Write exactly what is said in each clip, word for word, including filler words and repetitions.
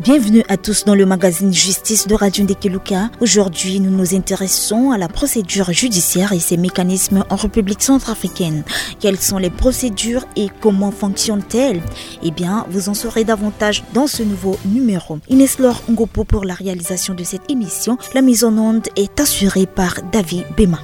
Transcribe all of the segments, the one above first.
Bienvenue à tous dans le magazine Justice de Radio Ndekeluka. Aujourd'hui, nous nous intéressons à la procédure judiciaire et ses mécanismes en République centrafricaine. Quelles sont les procédures et comment fonctionnent-elles ? Eh bien, vous en saurez davantage dans ce nouveau numéro. Inès Laure Ngopo pour la réalisation de cette émission. La mise en onde est assurée par David Bema.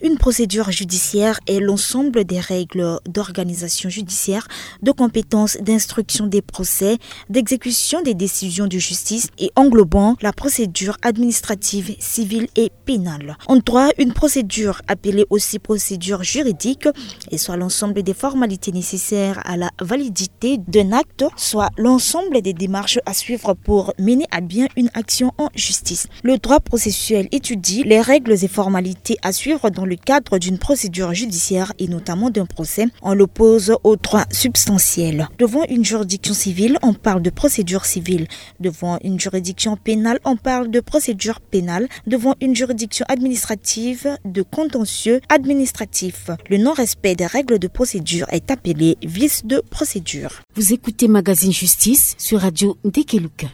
Une procédure judiciaire est l'ensemble des règles d'organisation judiciaire, de compétences, d'instruction des procès, d'exécution des décisions de justice et englobant la procédure administrative, civile et pénale. En droit, une procédure, appelée aussi procédure juridique, est soit l'ensemble des formalités nécessaires à la validité d'un acte, soit l'ensemble des démarches à suivre pour mener à bien une action en justice. Le droit processuel étudie les règles et formalités à suivre dans le cadre d'une procédure judiciaire et notamment d'un procès. On l'oppose au droit substantiel. Devant une juridiction civile, on parle de procédure civile. Devant une juridiction pénale, on parle de procédure pénale. Devant une juridiction administrative, de contentieux administratif. Le non-respect des règles de procédure est appelé vice de procédure. Vous écoutez Magazine Justice sur Radio Ndekeluka.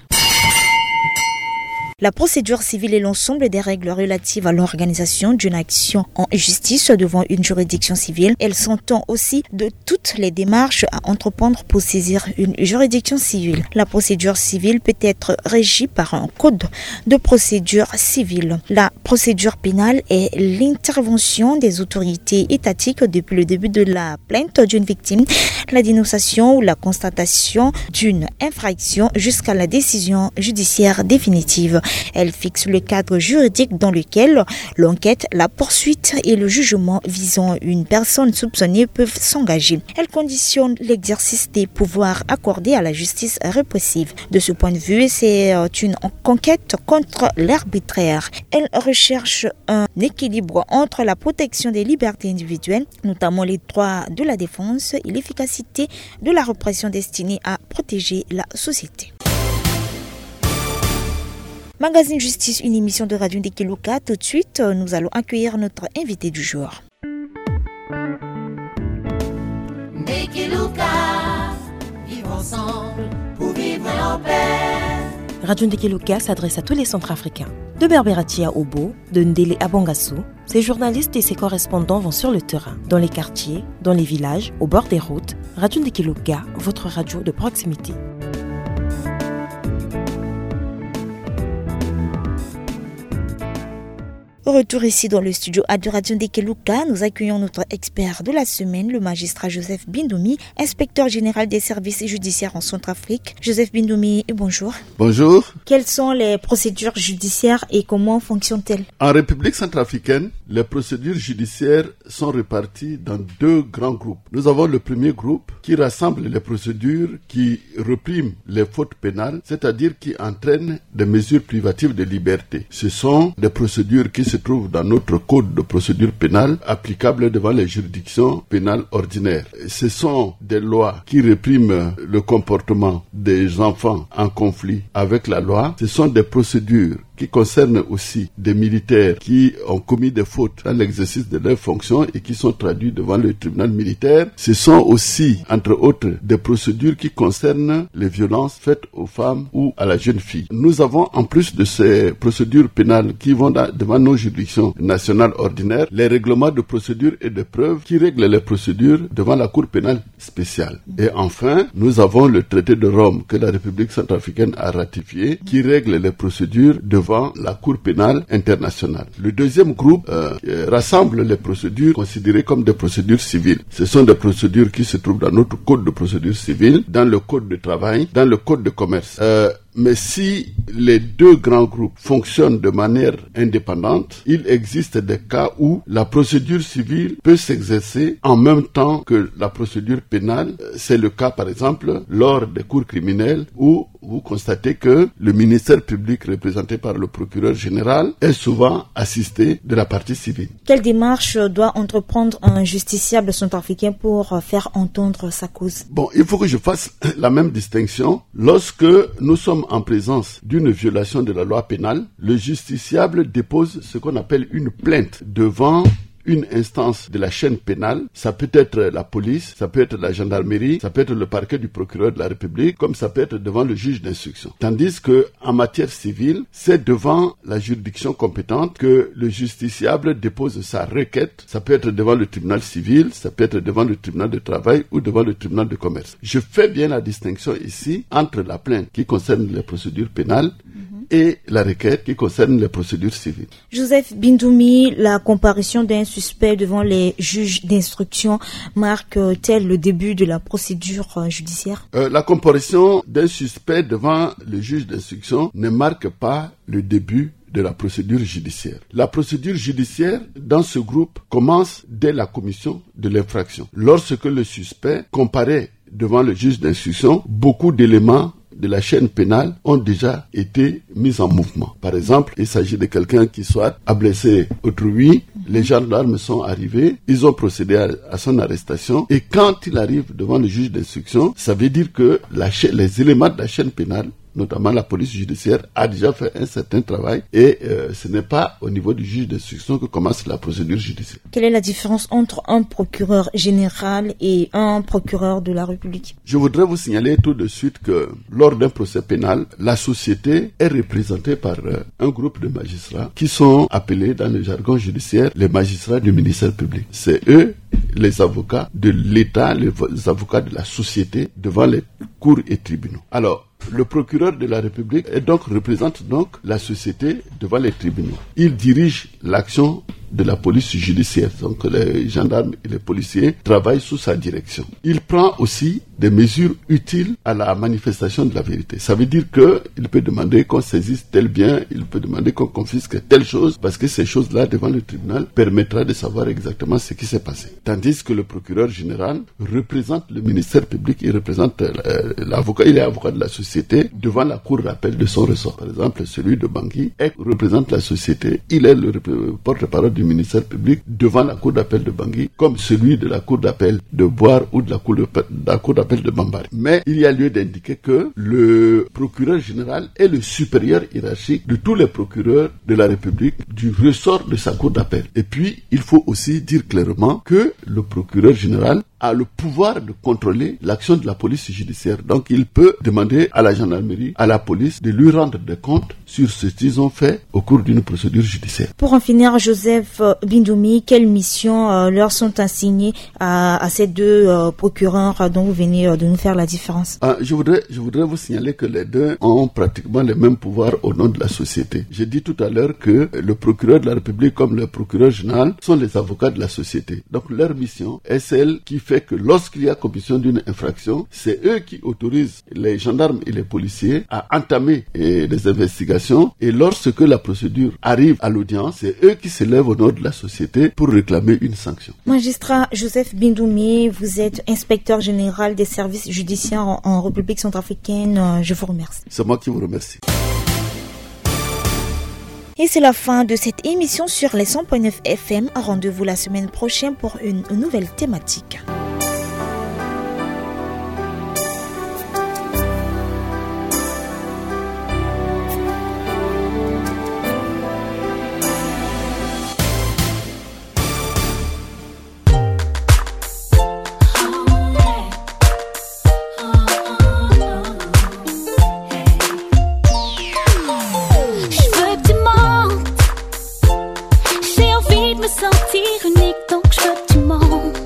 La procédure civile est l'ensemble des règles relatives à l'organisation d'une action en justice devant une juridiction civile. Elle s'entend aussi de toutes les démarches à entreprendre pour saisir une juridiction civile. La procédure civile peut être régie par un code de procédure civile. La procédure pénale est l'intervention des autorités étatiques depuis le début de la plainte d'une victime, la dénonciation ou la constatation d'une infraction jusqu'à la décision judiciaire définitive. Elle fixe le cadre juridique dans lequel l'enquête, la poursuite et le jugement visant une personne soupçonnée peuvent s'engager. Elle conditionne l'exercice des pouvoirs accordés à la justice répressive. De ce point de vue, c'est, euh, une conquête contre l'arbitraire. Elle recherche un équilibre entre la protection des libertés individuelles, notamment les droits de la défense, et l'efficacité de la répression destinée à protéger la société. Magazine Justice, une émission de Radio Ndekeluka. Tout de suite, nous allons accueillir notre invité du jour. Ndekeluka, vivre ensemble pour vivre en paix. Radio Ndekeluka s'adresse à tous les Centrafricains. De Berberatia Obo, de Ndele à Bangassou, ses journalistes et ses correspondants vont sur le terrain, dans les quartiers, dans les villages, au bord des routes. Radio Ndekeluka, votre radio de proximité. Au retour ici dans le studio A de Radio Ndekeluka, nous accueillons notre expert de la semaine, le magistrat Joseph Bindoumi, inspecteur général des services judiciaires en Centrafrique. Joseph Bindoumi, bonjour. Bonjour. Quelles sont les procédures judiciaires et comment fonctionnent-elles ? En République centrafricaine, les procédures judiciaires sont réparties dans deux grands groupes. Nous avons le premier groupe qui rassemble les procédures qui répriment les fautes pénales, c'est-à-dire qui entraînent des mesures privatives de liberté. Ce sont des procédures qui se trouvent dans notre code de procédure pénale applicable devant les juridictions pénales ordinaires. Ce sont des lois qui répriment le comportement des enfants en conflit avec la loi. Ce sont des procédures qui concernent aussi des militaires qui ont commis des fautes dans l'exercice de leurs fonctions et qui sont traduits devant le tribunal militaire. Ce sont aussi, entre autres, des procédures qui concernent les violences faites aux femmes ou à la jeune fille. Nous avons, en plus de ces procédures pénales qui vont dans- devant nos juridictions nationales ordinaires, les règlements de procédure et de preuve qui règlent les procédures devant la Cour pénale spéciale. Et enfin, nous avons le traité de Rome que la République centrafricaine a ratifié, qui règle les procédures devant la Cour pénale internationale. Le deuxième groupe, euh, euh, rassemble les procédures considérées comme des procédures civiles. Ce sont des procédures qui se trouvent dans notre code de procédure civile, dans le code de travail, dans le code de commerce. Euh, mais si les deux grands groupes fonctionnent de manière indépendante, il existe des cas où la procédure civile peut s'exercer en même temps que la procédure pénale. C'est le cas, par exemple, lors des cours criminels où vous constatez que le ministère public représenté par le procureur général est souvent assisté de la partie civile. Quelle démarche doit entreprendre un justiciable centrafricain pour faire entendre sa cause ? Bon, il faut que je fasse la même distinction. Lorsque nous sommes en présence d'une violation de la loi pénale, le justiciable dépose ce qu'on appelle une plainte devant une instance de la chaîne pénale, ça peut être la police, ça peut être la gendarmerie, ça peut être le parquet du procureur de la République, comme ça peut être devant le juge d'instruction. Tandis que en matière civile, c'est devant la juridiction compétente que le justiciable dépose sa requête. Ça peut être devant le tribunal civil, ça peut être devant le tribunal de travail ou devant le tribunal de commerce. Je fais bien la distinction ici entre la plainte qui concerne les procédures pénales et la requête qui concerne les procédures civiles. Joseph Bindoumi, la comparution d'un suspect devant les juges d'instruction marque-t-elle le début de la procédure, euh, judiciaire ? Euh, la comparution d'un suspect devant le juge d'instruction ne marque pas le début de la procédure judiciaire. La procédure judiciaire dans ce groupe commence dès la commission de l'infraction. Lorsque le suspect comparaît devant le juge d'instruction, beaucoup d'éléments de la chaîne pénale ont déjà été mis en mouvement. Par exemple, il s'agit de quelqu'un qui soit a blessé autrui, les gendarmes sont arrivés, ils ont procédé à, à son arrestation, et quand il arrive devant le juge d'instruction, ça veut dire que la cha-, les éléments de la chaîne pénale, notamment la police judiciaire, a déjà fait un certain travail et, euh, ce n'est pas au niveau du juge d'instruction que commence la procédure judiciaire. Quelle est la différence entre un procureur général et un procureur de la République ? Je voudrais vous signaler tout de suite que lors d'un procès pénal, la société est représentée par, euh, un groupe de magistrats qui sont appelés dans le jargon judiciaire les magistrats du ministère public. C'est eux les avocats de l'État, les avocats de la société devant les cours et tribunaux. Alors, le procureur de la République est donc, représente donc la société devant les tribunaux. Il dirige l'action de la police judiciaire. Donc les gendarmes et les policiers travaillent sous sa direction. Il prend aussi des mesures utiles à la manifestation de la vérité. Ça veut dire que il peut demander qu'on saisisse tel bien, il peut demander qu'on confisque telle chose, parce que ces choses-là devant le tribunal permettra de savoir exactement ce qui s'est passé. Tandis que le procureur général représente le ministère public, il représente, euh, l'avocat, il est avocat de la société devant la cour d'appel de son ressort. Par exemple, celui de Bangui est, représente la société, il est le repré-, porte-parole du ministère public devant la cour d'appel de Bangui, comme celui de la cour d'appel de Bouar ou de la cour de, de la cour d'appel de Bambari. Mais il y a lieu d'indiquer que le procureur général est le supérieur hiérarchique de tous les procureurs de la République du ressort de sa cour d'appel. Et puis, il faut aussi dire clairement que le procureur général a le pouvoir de contrôler l'action de la police judiciaire. Donc, il peut demander à la gendarmerie, à la police, de lui rendre des comptes sur ce qu'ils ont fait au cours d'une procédure judiciaire. Pour en finir, Joseph, euh, Bindoumi, quelles missions, euh, leur sont assignées à, à ces deux, euh, procureurs, euh, dont vous venez, euh, de nous faire la différence ? Ah, je voudrais, je voudrais vous signaler que les deux ont pratiquement les mêmes pouvoirs au nom de la société. J'ai dit tout à l'heure que le procureur de la République comme le procureur général sont les avocats de la société. Donc leur mission est celle qui fait que lorsqu'il y a commission d'une infraction, c'est eux qui autorisent les gendarmes et les policiers à entamer, eh, des investigations, et lorsque la procédure arrive à l'audience, c'est eux qui se lèvent au nom de la société pour réclamer une sanction. Magistrat Joseph Bindoumi, vous êtes inspecteur général des services judiciaires en, en République centrafricaine. Euh, je vous remercie. C'est moi qui vous remercie. Et c'est la fin de cette émission sur les cent point neuf F M. Rendez-vous la semaine prochaine pour une nouvelle thématique. Je veux que tu montes. J'ai envie de me sentir unique, donc je veux que tu montes.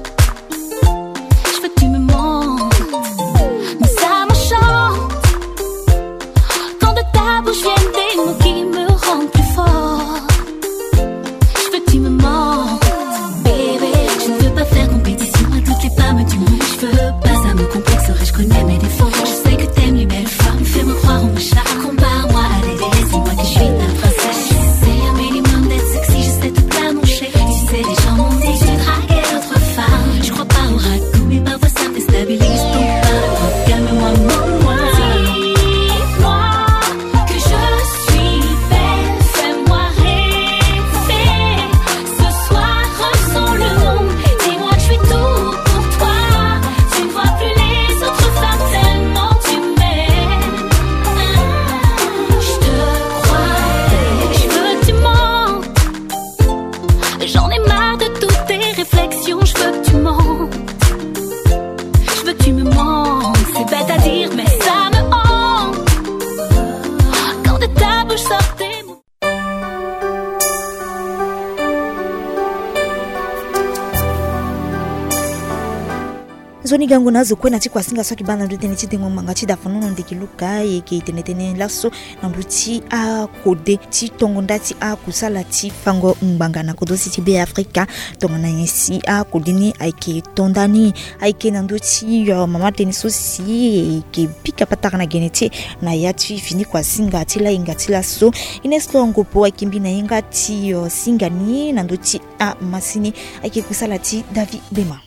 Nzoni gango na azo kue na ti kuasinga so ayeke baa na ndö tënë ti dengo ngbanga ti dafanono ndeke Luka, e yeke tene tënë laso na ndö ti akode ti tongo nda ti akusala ti fango ngbanga na kodro ti Be Afrika. Tongana nyen si akode ni ayeke to nda ni? Ayeke na ndö ti, euh, mama tënë so si e yeke pika patara na gene ti e na ya ti fini kuasinga ti lahinga ti laso. Ines Longopo ayeke mbi na ye nga ti, euh, singa ni na ndö ti amasini. Ayeke kusala ti David Bema.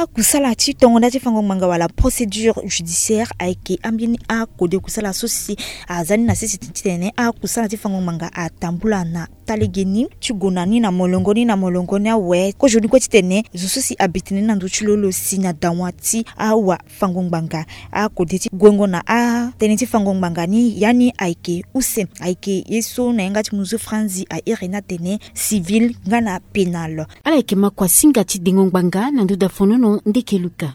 Akusala ti tongo nda ti fango ngbanga wala procédure judiciaire ayeke ambeni akode kusala so si aza ni na sese titene akusala ti fango ngbanga atambula na talegeni ti gue na ni na molongo ni na molongo ni awe. Kozoni kue titene zo so si abi tene ni na ndö ti lo lo si na dawa ti awa fango ngbanga akode ti guengo na atënë ti fango ngbanga ni, ya ni ayeke use, ayeke ye so na yanga ti muzu franzi a iri ni atene civil nga na pénal. Ala yeke ma kuasinga ti dengo ngbanga na ndö dafanono ndeke Luka.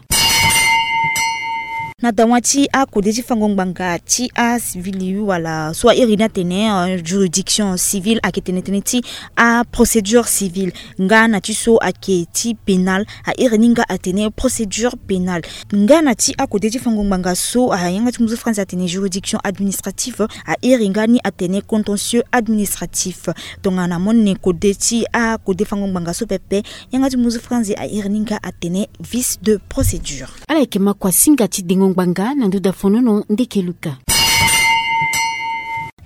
Na dawa ti akode ti fango ngbanga ti acivil wala so a iri ni atene, euh, juridiction civile, ayeke tene tënë ti aprocédure civile, nga na ti so ayeke ti pénal, a iri ni nga atene procédure pénale. Nga na ti akode ti fango ngbanga so ayanga ti muzu franzi atene juridiction administrative, a iri nga ni atene contentieux administratif. Tongana mo ne kode ti akode fango ngbanga so pepe, yanga ti muzu franzi a iri ni nga atene vice de procédure. Ala yeke ma kuasinga ti dengo ngbanga na ndö dafanono ndeke Luka.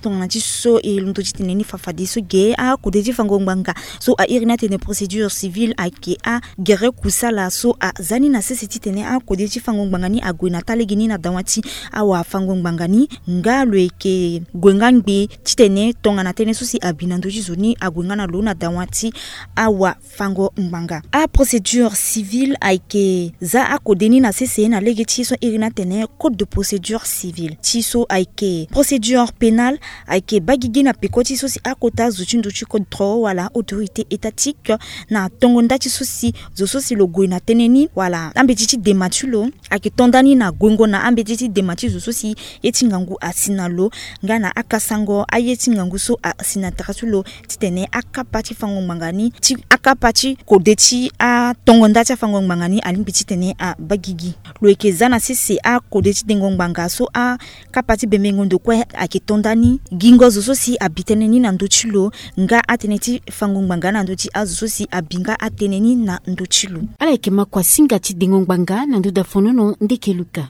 Tongana ti so e londo titene ni fa fadeso ge, akode ti fango ngbanga so a iri ni atene procédure civile ayeke agere kusala so aza ni na sese titene akode ti fango ngbanga ni ague na talegeni na dawa ti awa fango ngbanga ni, nga lo yeke gue nga ngbe titene tongana tënë so si abi na ndö ti zo ni ague nga na lo na dawa ti awa fango ngbanga. Aprocédure civile ayeke za akode ni na sese na lege ti so iri ni atene code de procédure civile. Ti so ayeke procédure pénale ayeke baa gigi na peko ti so si akota zo ti ndo ti kodro wala autorité étatique na tongo nda ti so si zo so si lo gue na tënë ni wala ambeti ti dema ti lo ayeke to nda ni na guengo na ambeti ti dema ti zo so si ye ti ngangu asi na lo, nga na akasango aye ti ngangu so asi na tere ti lo, titene akapa ti fango ngbanga ni, ti akapa ti kode ti atongo nda ti afango ngbanga ni alingbi titene abaa gigi. Lo yeke za na sese akode ti dengo ngbanga so akapa ti bembengo ndo kue ayeke to nda ni, gingo zo so si abi tënë ni na ndö ti lo, nga atënë ti fango ngbanga na ndö ti azo so si abi nga atënë ni na ndö ti lo. Ala yeke ma kuasinga ti dengo ngbanga na ndö dafanono ndeke Luka.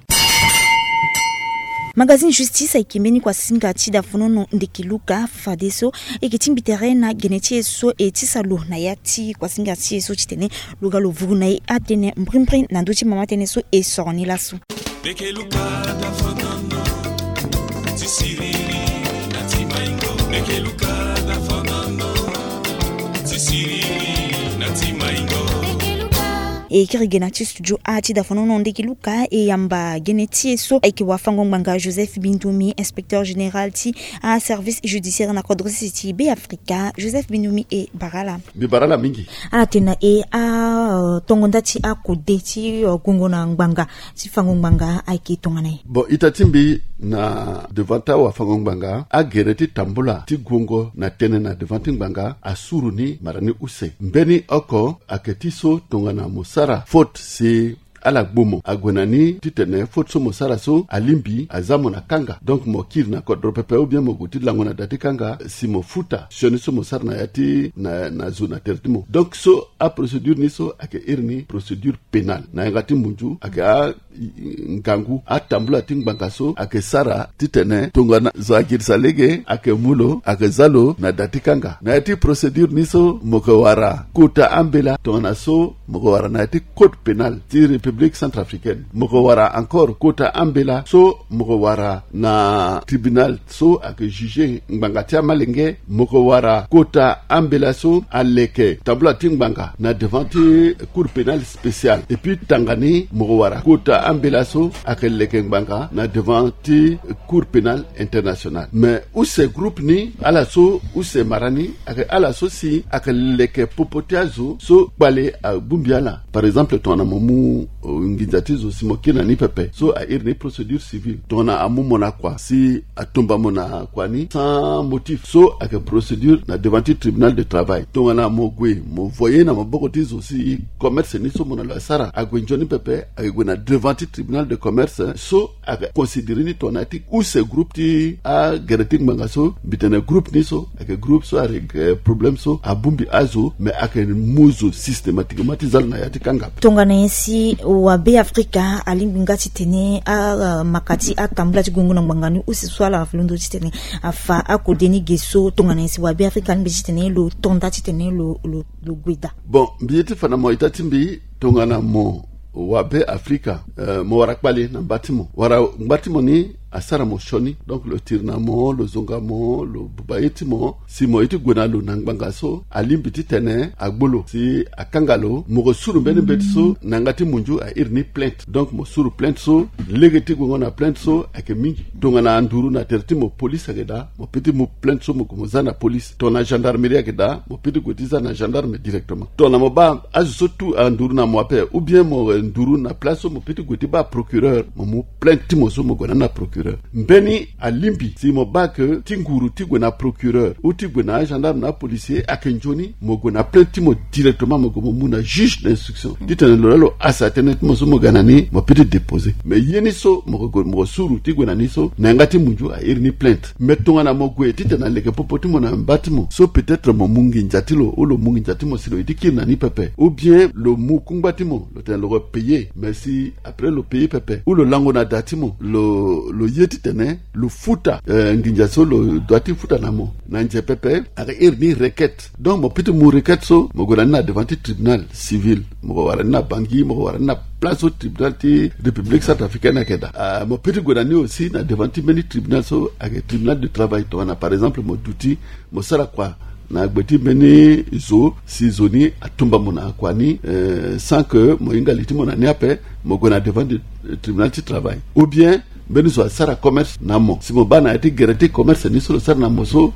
Magazine Justice ayeke mbeni kuasinga ti dafanono ndeke Luka. Fadeso e yeke tingbi tere na gene ti e so e tisa lo na ya ti kuasinga ti e so titene lo ga lo vuru na e atënë mbrimbri na ndö ti mama tënë so e soro ni laso. Ndeke Luka dafanono ti siriri na ti maingo. Ndeke Luka dafanono ti siriri na ti maingo. E kiri ge na ti studio a ti dafanono ndeke Luka e yamba gene ti e so ayeke wafango ngbanga Joseph Bindumi, inspecteur général ti aservice judiciaire na kodro sese ti Be Afrika. Joseph Bindumi, e bara ala. Mbi bara ala mingi. Ala tene na e, a, euh, tongo nda ti akode ti, euh, guengo na ngbanga ti fango ngbanga ayeke tongana nyen? Bon, ita ti mbi na devant ti awafango ngbanga, agere ti tambula ti guengo na tënë na devant ti ngbanga asuru ni mara ni use. Mbeni oko ayeke ti so tongana mo sara faute si ala gbu mo, ague na ni titene faute so mo sara so alingbi aza mo na kanga. Donc mo kiri na kodro pepe ou bien mo gue ti lango na da ti kanga si mo futa sioni so mo sara na ya ti na, na zo na tere ti mo. Donc so aprocédure ni so ayeke iri ni procédure pénale. Na yanga ti munzu ayeke a, i, i, ngangu atambula ti ngbanga so ayeke sara titene tongana zo agirisa lege ayeke mu lo, ayeke za lo na da ti kanga. Na ya ti procédure ni so mo yeke wara kota ambela tongana so mo yeke wara na ya ti code pénal ti République centrafricaine. Mo yeke wara encore kota ambela so mo yeke wara na tribunal so ayeke juge ngbanga ti amalenge. Mo yeke wara kota ambela so aleke tambula ti ngbanga na devant ti cour pénale spéciale. Et puis tanga ni mo yeke wara kota ambela so ayeke leke ngbanga na devant ti cour pénale internationale. Mais use groupe ni, ala so use mara ni ayeke ala so si ayeke leke popo ti azo so kpale abongbi ala. Par exemple tongana mo mu nginza ti zo si mo kiri na ni pepe, so a iri ni procédure civile. Tongana amu mo na kua si atumba mo na kua ni sans motif, so ayeke procédure na devant ti tribunal de travail. Tongana mo gue mo voye na maboko ti zo si commerce ni so mo na lo asara ague nzoni pepe, ayeke gue na devant ti tribunal de commerce, so ayeke considéré ni tongana ti use groupe ti agere ti ngbanga so, mbi tene groupe ni so ayeke groupe so ayeke problème so abongbi azo, mais ayeke mu zo systématiquement ti za lo na ya ti kanga. Tongana nyen si wabe Afrika alingbi nga titene amaka ti atambula ti gongo na ngbanga ni use so ala londo titene afa akode ni ge so, tongana nyen si wabe Afrika alingbi titene lo to nda titene lo, lo, lo gue daa? Bon, mbi ye ti fa na mo ita ti mbi, tongana mo wabe Afrika, eh, mo wara kpale na mba ti mo, wala ngba ti mo ni asara mo sioni, donc lo tiri na mo, lo zonga mo, lo buba ye ti mo, si mo ye ti gue na lo na ngbanga so, alingbi titene agbu lo si akanga lo, mo ko suru mbeni mbeti so na yanga ti munzu a iri ni plainte. Donc mo suru plainte so, lege ti guengo na plainte so ayeke mingi. Tongana anduru na tere ti mo, police ayeke daa, mo peut ti mu plainte so mo gue mo za na police. Tongana gendarmerie ayeke daa, mo peut ti gue ti za na gendarme directement. Tongana mo baa azo so tout anduru na mo ape, ou bien mo, eh, nduru na place so, mo peut ti gue ti baa procureur, mo mu plainte ti mo so mo gue na ni na procureur. Mbeni alingbi si mo baa ke ti nguru ti gue na procureur ou ti gue na agendarme na apolicier ayeke nzoni, mo gue na plainte ti mo directement, mo gue mo mu na juge d'instruction titene lo laa lo hasa tënë ti mo so mo ga na ni, mo peut ti déposer. Mais ye ni so mo ko gue, mo ko suru ti gue na ni so, na yanga ti munzu a iri ni plainte. Mais tongana mo gue titene aleke popo ti mo na mba ti mo so, peut-être mo mu nginza ti lo, ou lo mu nginza ti mo si lo ye ti kiri na ni pepe, ou bien lo mu kungba ti mo, lo tene lo ko payer, mais si après lo payer pepe, ou lo lango na da ti mo, lo, lo ye titene lo futa, eh, nginza so lo doit ti futa na mo na nze pepe, ayeke iri ni requête. Donc mo peut ti mu requête so, mo gue na ni na devant ti tribunal civil, mo ko wara ni na Bangui, mo ko wara ni na place so tribunal ti République centrafricaine ayeke daa. Ah, mo peut ti gue na ni aussi na devant ti mbeni tribunal so ayeke tribunal du travail. Tongana par exemple mo duti, mo sara kua na gbe ti mbeni zo, si zo ni atumba mo na kua ni, eh, sans que mo hinga li ti mo na ni ape, mo gue na devant de, eh, tribunal ti travail. Ou bien mbeni zo asara commerce na mo, si mo baa na ya ti gere ti commerce ni so lo sara na mo so,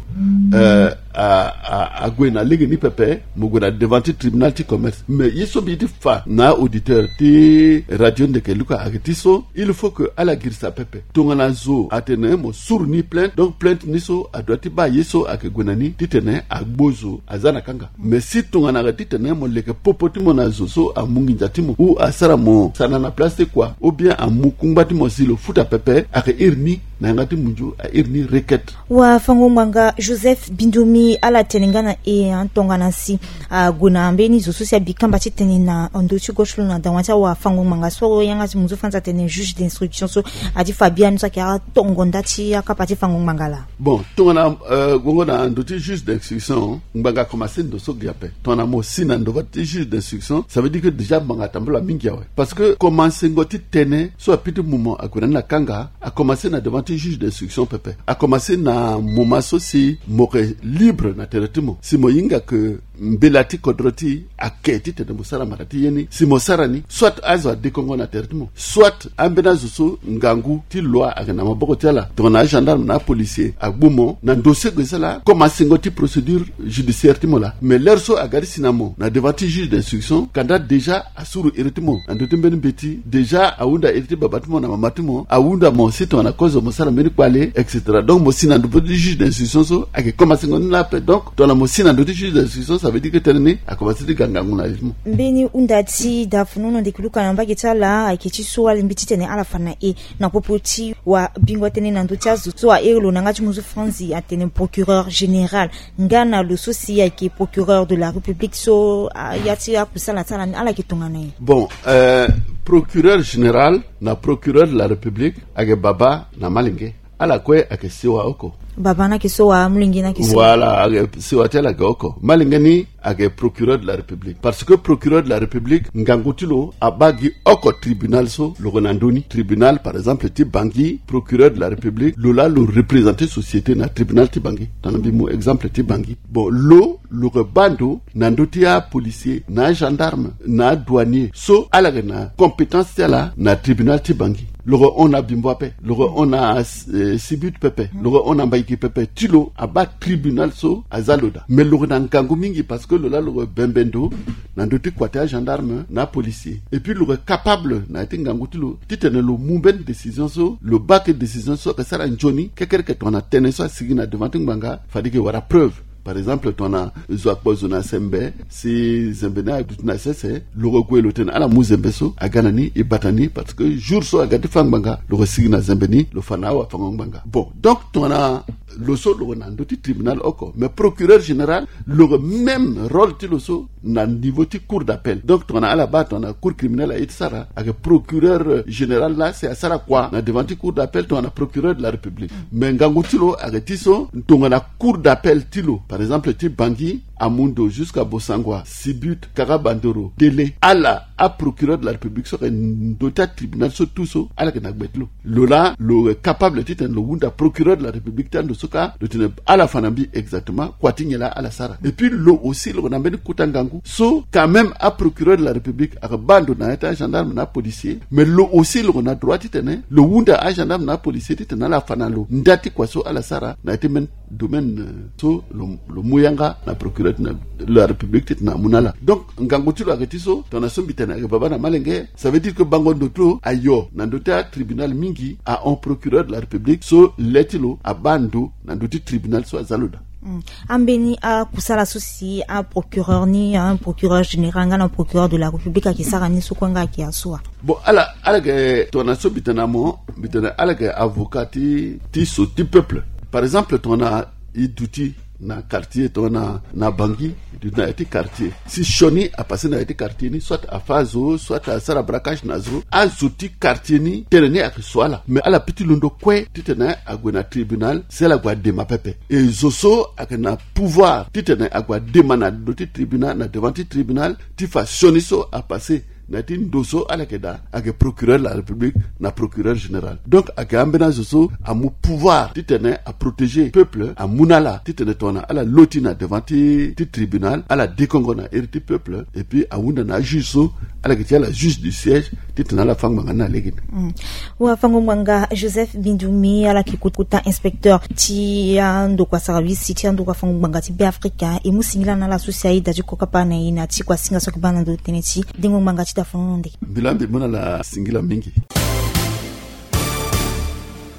eh, a, a, ague na lege ni pepe, mo gue na devant ti tribunal ti commerce. Mais ye so mbi ye ti fa na auditeur ti Radio Ndeke Luka ayeke ti so, il faut que ala girisa pepe. Tongana zo atene mo suru ni plainte, donc plainte ni so adoit ti baa ye so ayeke gue na ni titene agbo zo aza na kanga. Mais si tongana ayeke titene mo leke popo ti mo na zo so amu nginza ti mo, ou asara mo sana na place ti kua, ou bien amu kungba ti mo si lo futa pepe, ayeke iri ni na yanga ti munzu a iri ni requête. Wafango-ngbanga Joseph Bindomi, ala tene nga na e, hein, tongana si ague na mbeni zo so si abi kamba ti tene na ndö ti gauche lo na dawa ti awafango-ngbanga so yanga ti munzu France atene juge d'instruction so, adi fa biani so ayeke atongo nda ti akapa ti fango-ngbanga laa. Bon, tongana, euh, gongo na ndö ti juge d'instruction, ngbanga akomanse ndo so ge ape. Tongana mo si na ndo ti juge d'instruction, ça veut dire que déjà ngbanga atambula mingi awe. Parce que komansengo ti tënë so ape ti mu mo ague na ni na kanga, akomanse na devant ti juge d'instruction pepe. Akomanse na moment so si mo yeke libre na tere ti mo, si mo hinga ke mbela ti kodro ti e ayeke titene mo sara mara ti ye ni, si mo sara ni, soit azo adekongo na tere ti mo, soit ambeni azo so ngangu ti loi ayeke na maboko ti ala, tongana agendarme na apolicier agbu mo na ndo so e gue sala komansengo ti procédure judiciaire ti mo laa. Mais l'heure so aga ti si na mo na devant ti juge d'instruction, kanda déjà asuru iri ti mo na ndö ti mbeni mbeti, déjà ahunda iri ti baba ti mo na mama ti mo, ahunda mo si tongana kozo mo sara mbeni kpale, et cetera. Donc mo si na ndö ti juge d'instruction so ayeke komansengo ni laa ape. Donc tongana mo si na ndö ti juge d'instruction, ça veut dire que tënë ni akomanse ti ga ngangu na iri ti mo. Mbeni hunda ti da funu no ndeke luka na mbage ti ala ayeke ti so alingbi titene ala fa na e na popo ti wabingo tënë na ndö ti azo so ahere lo na yanga ti munzu franzi atene procureur général. Nga na lo so si ayeke procureur de la République so, ah, ya ti akusala ti ala ni, ala yeke tongana nyen? Bon, euh, procureur général na procureur de la République ayeke baba na malenge. Ala kue ayeke sewa oko. Baba ni ayeke sewa, amolenge ni ayeke sewa. Voilà, ayeke sewa ti ala ayeke oko. Malenge ni ayeke procureur de la République. Parce que procureur de la République, ngangu ti lo abaa gi oko tribunal so lo yeke na ndö ni. Tribunal, par exemple, ti Bangui, procureur de la République, lo laa lo représenter société na tribunal ti Bangui. Tongana mbi mu exemple ti Bangui. Bon, lo, lo yeke baa ndo na ndö ti apolicier, na agendarme, na adouanier so ala yeke na compétence ti ala na tribunal ti Bangui. lo ke hon na Bimbo ape, lo ke hon na, eh, Sibut pepe, lo ke hon na Mbaiki pepe, ti lo abaa tribunal so aza lo daa. Mais lo ke na ngangu mingi parce que lo laa lo ke bembe ndo na ndö ti kua ti agendarme na apolicier. Et puis lo ke capable na ya ti ngangu ti lo titene lo mu mbeni décision so, lo baa ke décision so ayeke sara nzoni kekereke tongana tënë so asigi na devant ti ngbanga fade e ke wara preuve. Par exemple tongana zo akpo zo na sembe, si zembe ni aduti na sese, lo ke gue lo tene ala mu zembe so aga na ni, e bata ni, parce que jour so aga ti fâ ngbanga lo ke sigi na zembe ni, lo fa na awafango-ngbanga. Bon, donc tongana lo so lo ke na ndö ti tribunal oko, mais procureur général lo ke même rôle ti lo so na niveau ti cour d'appel. Donc tongana ala baa tongana cour criminelle aye ti sara, ayeke procureur général laa si asara kua na devant ti cour d'appel tongana procureur de la République. Mais ngangu ti lo ayeke ti so tongana cour d'appel ti lo, par exemple ti Bangui amu ndo jusqu'à Bossangoa, Sibut, Kaka Bandoro, Délé, ala aprocureur de la République so ayeke ndö ti atribunal so tout so ala yeke na gbe ti lo. Lo laa lo yeke capable titene lo hunda procureur de la République ti ando so kâ, lo tene ala fa na mbi exactement kua ti nyen laa ala sara. Et puis lo aussi lo yeke na mbeni kota ngangu so quand même aprocureur de la République ayeke baa ndo na ya ti agendarme na apolicier, mais lo aussi lo yeke na droit titene lo hunda agendarme na apolicier titene ala fa na lo nda ti kua so ala sara na ya ti mbeni domaine, euh, so lo, lo mu yanga na procureur de la République titene amu na ala. Donc ngangu ti lo ayeke ti so tongana so mbi tene ayeke baba na malenge, ça veut dire que bango ndo ti lo ayo na ndö ti atribunal mingi ahon procureur de la République so le ti lo abaa ndo na ndö ti tribunal so aza lo daa. Hmm. Ambeni akusala so si aprocureur ni, aprocureur général nga na procureur de la République ayeke sara ni so kue nga ayeke ya so wa? Bon, ala, ala yeke tongana so mbi tene na mo, mbi tene ala yeke avocat ti, ti so ti peuple. Par exemple tongana e duti na quartier tongana na Bangui, e duti na ya ti quartier, si sioni apassé na ya ti quartier ni, soit afâ azo, soit asara braquage na zo, azo ti quartier ni tënë ni ayeke so ala. Mais ala peut ti londo kue titene ague na tribunal si ala gue adema pepe. E zo so ayeke na pouvoir titene ague adema na ndo ti tribunal, na devant ti tribunal, ti fa sioni so apassé na ya ti ndo so ala yeke daa, ayeke procureur de la République na procureur général. Donc ayeke ambeni azo so amu pouvoir titene aprotégé peuple, amu na ala titene tongana ala loti na devant ti, ti tribunal, ala dekongo na iri ti peuple, et puis ahunda na ajuge so ala yeke ti ala juge du siège titene ala fâ ngbanga ni na lege ni. Hmm. Wafango-ngbanga Joseph Bindumi, ala yeke kota inspecteur ti andokua service ti andokua fango-ngbanga ti Beafrika, e mu singila na ala so si aye da ti kokapa na e na ti kuasinga so ayeke baa na ndo tënë ti dengo ngbanga ti dafanono nde. Mbi laa mbi mu na ala singila mingi.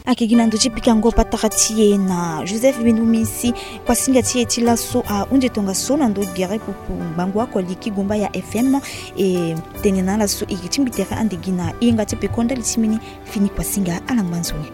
Ayeke gi na ndö ti pikango patara ti e na Joseph Bindumi si kuasinga ti e ti laso ahunzi e tongaso na ndo gere pupu ngbangua koli ki gumba ya F M. E tene na ala so e yeke ti mbi tere ande gi na e yanga ti peko ndali ti mbeni fini kuasinga, ala ngba nzoni.